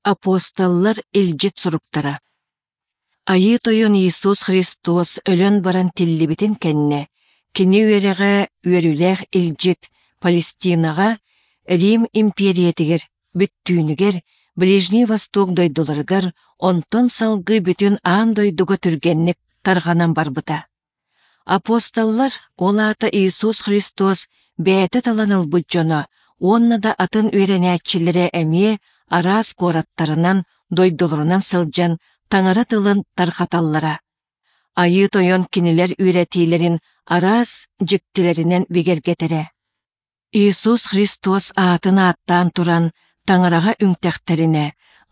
Апостоллар илдьит суруктара Айыы Тойон Иисус Христос өлөн баран тиллибитин кэннэ, кини үөрэҕэ үөрүүлээх илдьит Палестинаҕа, Рим импиэрийэтигэр бүттүүнүгэр, Ближний Восток дойдуларыгар, онтон салгыы бүтүн аан дойдуга түргэнник тарҕанан барбыта. Апостоллар, ол аата Иисус Христос бэйэтэ талан ылбыт дьоно уонна да атын үөрэнээччилэрэ эмиэ араас куораттарынан, дойдуларынан сылдьан Таҥара тылын тарҕаталлара. Айыы Тойон кинилэр үөрэтиилэрин араас дьиктилэринэн бигэргэтэрэ. Иисус Христос аатын ааттаан туран Таҥараҕа үҥтэхтэринэ,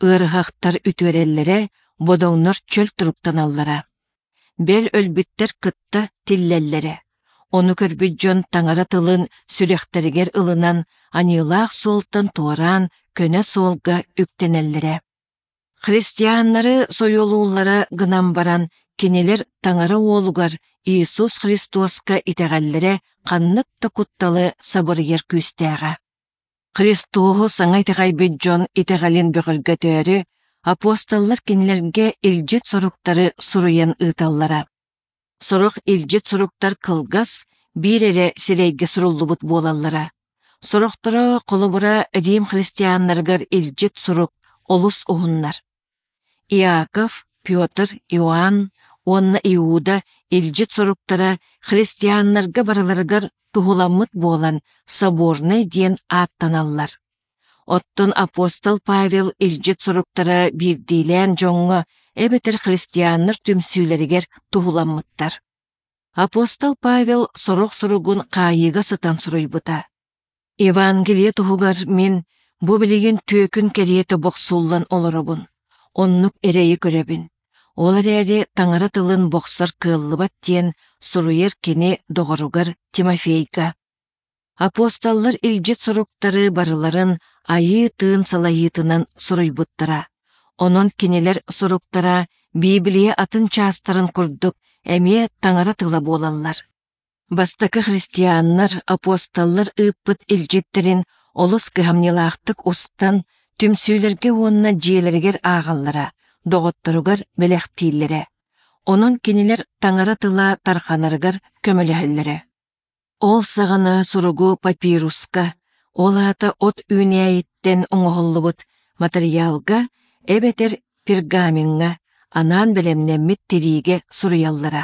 ыарыһахтар үтүөрэллэрэ, бодоҥнор чөл туруктаналлара. Бэл өлбүттэр кытта тиллэллэрэ. Ону көрбүт дьон Таҥара тылын сүрэхтэригэр ылынан, аньыылаах суолтан туораан көнө суолга үктэнэллэрэ. Христианнары сойуолууллара гынан баран, кинилэр Таҥара Уолугар Иисус Христоска итэҕэллэрэ ханнык да кутталы сабырыйар күүстээҕэ. Христоһу саҥа итэҕэйбит дьон итэҕэлин бөҕөргөтөөрү, апостоллар кинилэргэ илдьит суруктары суруйан ыыталлара. Сорох илдьит суруктар кылгас, биир эрэ сирэйгэ суруллубут буолаллара. Сорохторо, холобура, Рим христианнарыгар илдьит сурук олус уһуннар. Иаков, Петр, Иоанн уонна Иуда илдьит суруктара христианнарга барыларыгар туһуламмыт буолан соборнай диэн ааттаналлар. Оттон апостол Павел илдьит суруктара биирдиилээн дьоҥҥо эбэтэр христианнар түмсүүлэригэр туһуламмыттар. Апостол Павел сорох суругун хаайыыга сытан суруйбута. Евангелие туһугар мин бу билигин түөкүн кэриэтэ бохсуллан олоробун, оннук эрэйи көрөбүн. Ол эрээри Таҥара тылын бохсор кыаллыбат диэн суруйар кини доҕоругар Тимофейга. Апостоллар илдьит суруктары барыларын Айыы Тыын салайыытынан суруйбуттара. Онон кинилэр суруктара Библия атын чаастарын курдук эмиэ Таҥара тыла буолаллар. Бастакы христианнар апостоллар ыыппыт илдьиттэрин олус кыһамньылаахтык устан, түмсүүлэргэ уонна дьиэлэригэр ааҕаллара, доҕотторугар бэлэхтииллэрэ. Онон кинилэр Таҥара тыла тарҕанарыгар көмөлөһөллөрө. Ол саҕана суругу папируска, ол аата от үүнээйиттэн оҥоһуллубут матырыйаалга эбэтэр пергамеҥҥа анаан бэлэмнэммит тириигэ суруйаллара.